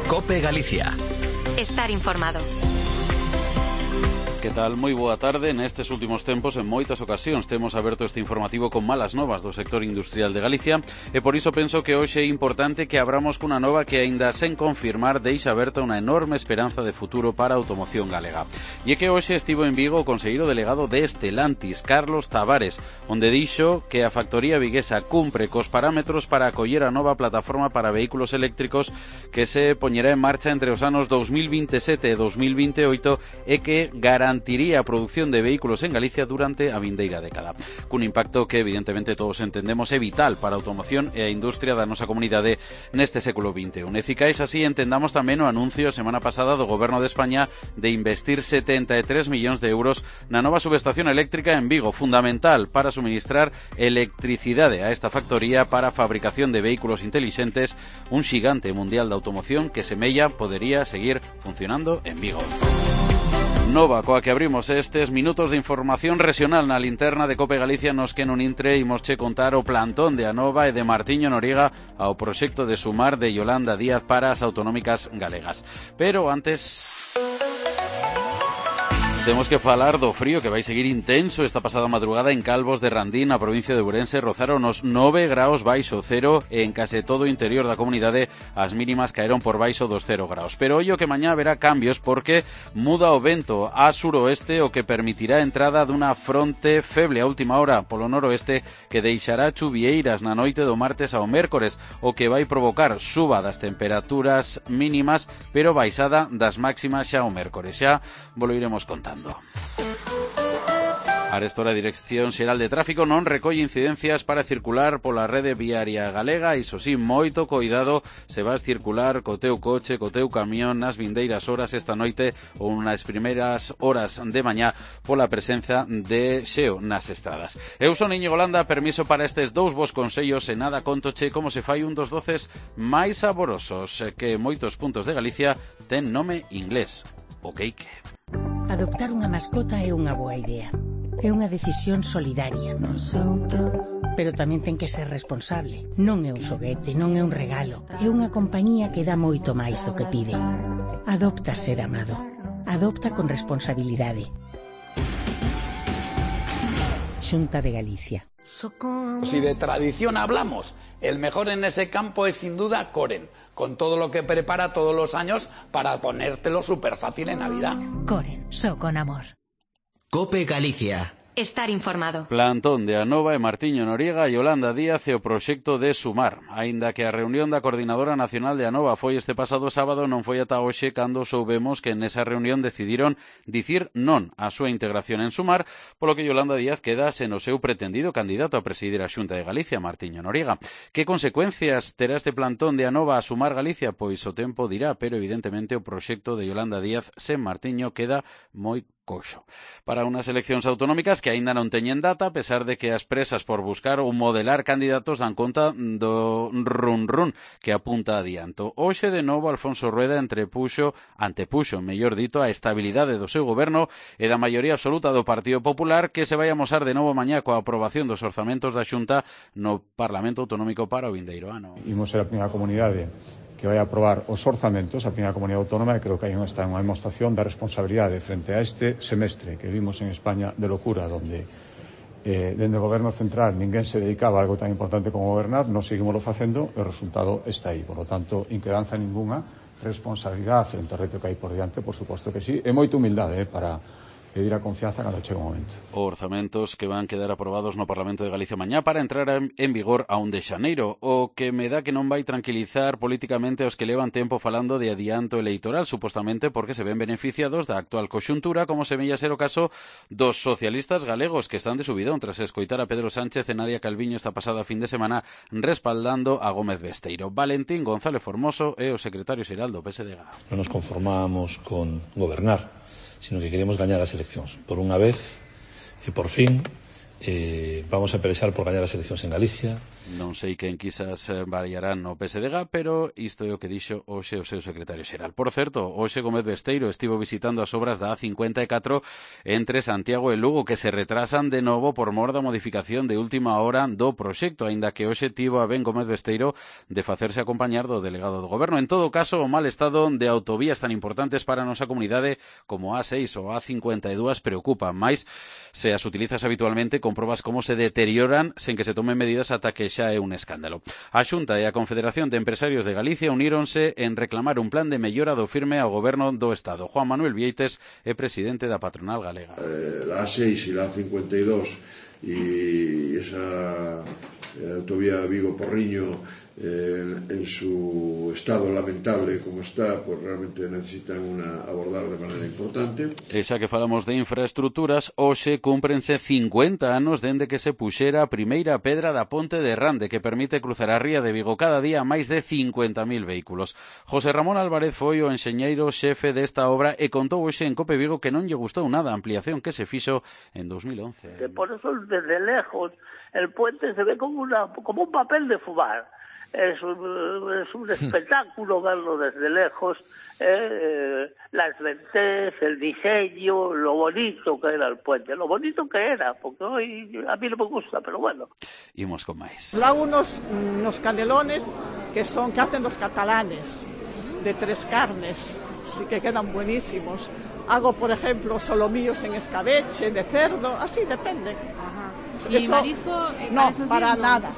COPE Galicia. Estar informado. Que tal? Moi boa tarde. Nestes últimos tempos, en moitas ocasións, temos aberto este informativo con malas novas do sector industrial de Galicia e por iso penso que hoxe é importante que abramos cunha nova que, aínda sen confirmar, deixa aberta unha enorme esperanza de futuro para a automoción galega. E é que hoxe estivo en Vigo o conselleiro delegado de Stellantis, Carlos Tavares, onde dixo que a factoría viguesa cumpre cos parámetros para acoller a nova plataforma para vehículos eléctricos que se poñerá en marcha entre os anos 2027 e 2028 e que garantiría a produción de vehículos en Galicia durante a vindeira década. Cun impacto que evidentemente todos entendemos é vital para a automoción e a industria da nosa comunidade neste século XXI. E cicais así entendamos tamén o anuncio a semana pasada do Goberno de España de investir 73 millóns de euros na nova subestación eléctrica en Vigo, fundamental para suministrar electricidade a esta factoría para a fabricación de vehículos intelixentes, un xigante mundial da automoción que semella podería seguir funcionando en Vigo. Nova coa que abrimos estes minutos de información regional na linterna de COPE Galicia, nos que nun intre imosche contar o plantón de Anova e de Martiño Noriega ao proxecto de Sumar de Yolanda Díaz para as autonómicas galegas. Pero antes temos que falar do frío que vai seguir intenso. Esta pasada madrugada en Calvos de Randín, na provincia de Ourense, rozaron os 9 graus baixo cero e en case todo o interior da comunidade as mínimas caeron por baixo dos 0 graus. Pero ollo que mañá haberá cambios porque muda o vento a suroeste, o que permitirá a entrada dunha fronte feble a última hora polo noroeste que deixará chuvieiras na noite do martes ao mércores, o que vai provocar suba das temperaturas mínimas pero baixada das máximas xa o mércores. Xa volo iremos contando. Arestora a Dirección Xeral de Tráfico non recolle incidencias para circular pola rede viaria galega. Iso sí, moito coidado se vas circular co teu coche, co teu camión nas vindeiras horas esta noite ou nas primeiras horas de mañá pola presenza de xeo nas estradas. Eu son Íñigo Landa, permiso para estes dous vos consellos e nada contoche como se fai un dos doces máis saborosos que moitos puntos de Galicia ten nome inglés, o cake. Adoptar unha mascota é unha boa idea. É unha decisión solidaria. Pero tamén ten que ser responsable. Non é un xoguete, non é un regalo. É unha compañía que dá moito máis do que pide. Adopta ser amado. Adopta con responsabilidade. Xunta de Galicia. Si de tradición hablamos, el mejor en ese campo es sin duda Coren, con todo lo que prepara todos los años para ponértelo súper fácil en Navidad. Coren, so con amor. COPE Galicia. Estar informado. Plantón de Anova e Martiño Noriega e Yolanda Díaz e o proxecto de Sumar. Aínda que a reunión da Coordinadora Nacional de Anova foi este pasado sábado, non foi ata hoxe cando soubemos que nesa reunión decidiron dicir non á súa integración en Sumar, polo que Yolanda Díaz queda sen o seu pretendido candidato a presidir a Xunta de Galicia, Martiño Noriega. Que consecuencias terá este plantón de Anova a Sumar Galicia? Pois o tempo dirá, pero evidentemente o proxecto de Yolanda Díaz sen Martiño queda moi coxo. Para unhas eleccións autonómicas que aínda non teñen data, a pesar de que as presas por buscar ou modelar candidatos dan conta do run-run que apunta adianto. Hoxe de novo Alfonso Rueda antepuxo, mellor dito, a estabilidade do seu goberno e da maioría absoluta do Partido Popular, que se vai amosar de novo mañá coa aprobación dos orzamentos da Xunta no Parlamento Autonómico para o vindeiro ano. Imos ser a primeira comunidade que vai aprobar os orzamentos, a primeira comunidade autónoma, e creo que aí está unha demostración da responsabilidade frente a este semestre que vimos en España de locura, donde dende o goberno central ninguén se dedicaba a algo tan importante como gobernar. Nos seguimos facendo e o resultado está aí. Por lo tanto, inquedanza ninguna, responsabilidade frente ao reto que hai por diante, por suposto que sí, e moita humildade para pedir a confianza cando chegue o momento. Orzamentos que van quedar aprobados no Parlamento de Galicia mañá para entrar en vigor a 1 de xaneiro, o que me dá que non vai tranquilizar políticamente aos que levan tempo falando de adianto electoral, supostamente porque se ven beneficiados da actual coxuntura, como semella ser o caso dos socialistas galegos que están de subidón tras escoitar a Pedro Sánchez e Nadia Calviño esta pasada fin de semana respaldando a Gómez Besteiro. Valentín González Formoso é o secretario xeral do PSDG. Non nos conformamos con gobernar, sino que queremos gañar as eleccións. Por unha vez e por fin vamos a pelexar por gañar as eleccións en Galicia. Non sei quen quizás variarán no PSDG, pero isto é o que dixo hoxe o seu secretario xeral. Por certo, hoxe Gómez Besteiro estivo visitando as obras da A54 entre Santiago e Lugo, que se retrasan de novo por mor da modificación de última hora do proxecto, aínda que hoxe tivo a ben Gómez Besteiro de facerse acompañar do delegado do Goberno. En todo caso, o mal estado de autovías tan importantes para a nosa comunidade como a A6 ou a A52 preocupa máis se as utilizas habitualmente, comprobas como se deterioran sen que se tomen medidas ata que xa é un escándalo. A Xunta e a Confederación de Empresarios de Galicia uníronse en reclamar un plan de mellora do firme ao Goberno do Estado. Juan Manuel Vieites é presidente da patronal galega. La A6 y la A52 y esa autovía Vigo-Porriño en su estado lamentable como está, pues realmente necesitan abordar de manera importante. E xa que falamos de infraestructuras, hoxe cúmprense 50 anos dende que se puxera a primeira pedra da ponte de Rande, que permite cruzar a ría de Vigo cada día a máis de 50.000 vehículos. José Ramón Álvarez foi o enxeñeiro xefe desta obra e contou hoxe en Cope Vigo que non lle gustou nada a ampliación que se fixo en 2011. Que por eso desde lejos el puente se ve como un papel de fumar. Es un espectáculo verlo desde lejos, las ventées, el diseño, lo bonito que era el puente, lo bonito que era, porque hoy a mí no me gusta, pero bueno. Imos con máis. Unos canelones que hacen los catalanes, de 3 carnes, sí que quedan buenísimos. Hago, por ejemplo, solomillos en escabeche, de cerdo, así depende. Ajá. ¿Y marisco? No, para nada.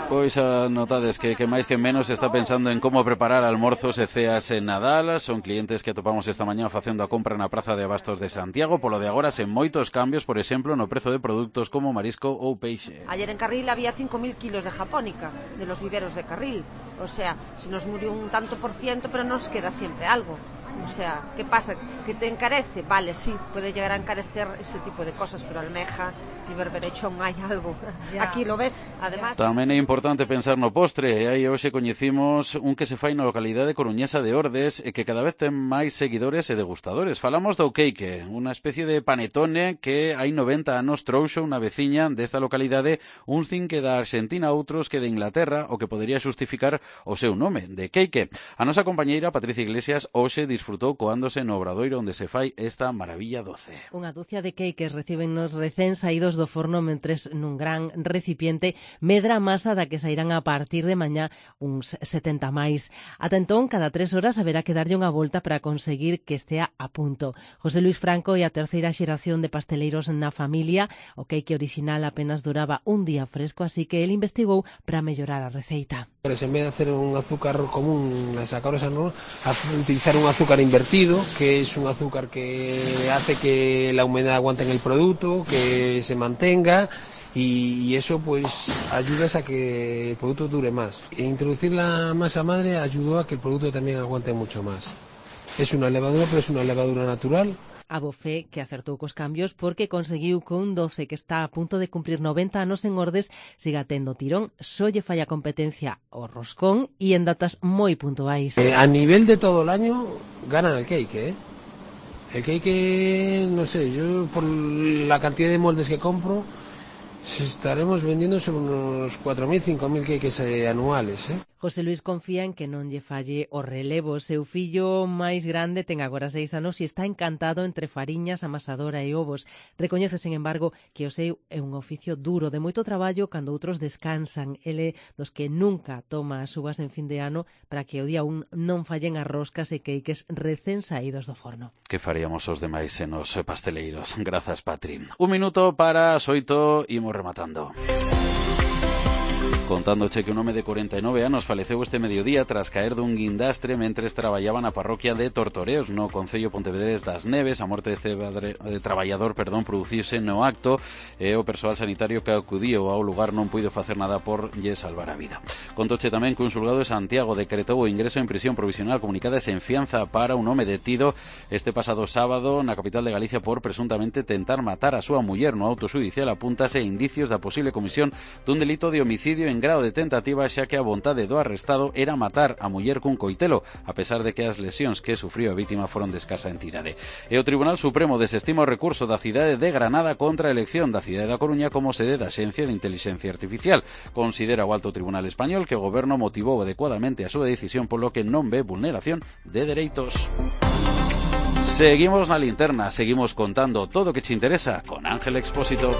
Pois notades que máis que menos está pensando en como preparar almorzos e ceas en Nadal. Son clientes que atopamos esta mañá facendo a compra na Praza de Abastos de Santiago. Polo de agora, sen moitos cambios, por exemplo, no prezo de produtos como marisco ou peixe. Ayer en Carril había 5.000 kilos de japónica, de los viveros de Carril. O sea, se nos murió un tanto por ciento, pero nos queda siempre algo. O sea, ¿qué pasa? ¿Que te encarece? Vale, sí, puede llegar a encarecer ese tipo de cosas, pero almeja y berberechón hay algo. Ya. Aquí lo ves, además. Tamén é importante pensar no postre, e aí hoxe coñecimos un que se fai na localidade coruñesa de Ordes e que cada vez ten máis seguidores e degustadores. Falamos do cake, unha especie de panetone que hai 90 anos trouxo unha veciña desta localidade, uns din que da Argentina, outros que de Inglaterra, o que podería xustificar o seu nome, de cake. A nosa compañeira Patricia Iglesias hoxe disfrutou coándose no obradoiro onde se fai esta maravilla doce. Unha ducia de queques reciben nos recén saídos do forno mentres nun gran recipiente medra a masa da que sairán a partir de mañá uns 70 máis. Ata entón, cada 3 horas haberá que darlle unha volta para conseguir que estea a punto. José Luis Franco é a terceira xeración de pasteleiros na familia. O queque original apenas duraba un día fresco, así que el investigou para mellorar a receita. En vez de hacer un azúcar común, utilizar un azúcar invertido, que es un azúcar que hace que la humedad aguante en el producto, que se mantenga, y eso pues ayuda a que el producto dure más. E introducir la masa madre ayudó a que el producto también aguante mucho más. Es una levadura, pero es una levadura natural. A Bofé, que acertou cos cambios porque conseguiu que un doce que está a punto de cumplir 90 anos en Ordes siga tendo tirón, só lle falla competencia o roscón e en datas moi puntuais. A nivel de todo el año ganan el cake, El cake, no sé, yo por la cantidad de moldes que compro estaremos vendiendo sobre unos 4.000, 5.000 cakes anuales, José Luis confía en que non lle falle o relevo. Seu fillo máis grande ten agora 6 anos e está encantado entre fariñas, amasadora e ovos. Recoñece, sen embargo, que o seu é un oficio duro, de moito traballo cando outros descansan. Ele dos que nunca toma as uvas en fin de ano para que o día 1 non fallen as roscas e queques recén saídos do forno. Que faríamos os demais en os pasteleiros? Grazas, Patri. 1 minuto para as 8, imos rematando. Contándoche que un home de 49 anos faleceu este mediodía tras caer dun guindastre mentres traballaba na parroquia de Tortoreos, no concello Pontevedrés das Neves. A morte deste traballador, produciuse no acto e o persoal sanitario que acudiu ao lugar non puido facer nada por lle salvar a vida. Contoche tamén que un xulgado de Santiago decretou o ingreso en prisión provisional comunicada e sen fianza para un home detido este pasado sábado na capital de Galicia por presuntamente tentar matar a súa muller. No auto xudicial apúntase indicios da posible comisión dun delito de homicidio homicidio en grao de tentativa, xa que a vontade do arrestado era matar a muller cun coitelo, a pesar de que as lesións que sufriu a vítima foron de escasa entidade. E o Tribunal Supremo desestima o recurso da cidade de Granada contra a elección da cidade da Coruña como sede da Axencia de Intelixencia Artificial. Considera o Alto Tribunal Español que o goberno motivou adecuadamente a súa decisión, polo que non ve vulneración de dereitos. Seguimos na linterna, seguimos contando todo o que te interesa con Ángel Expósito.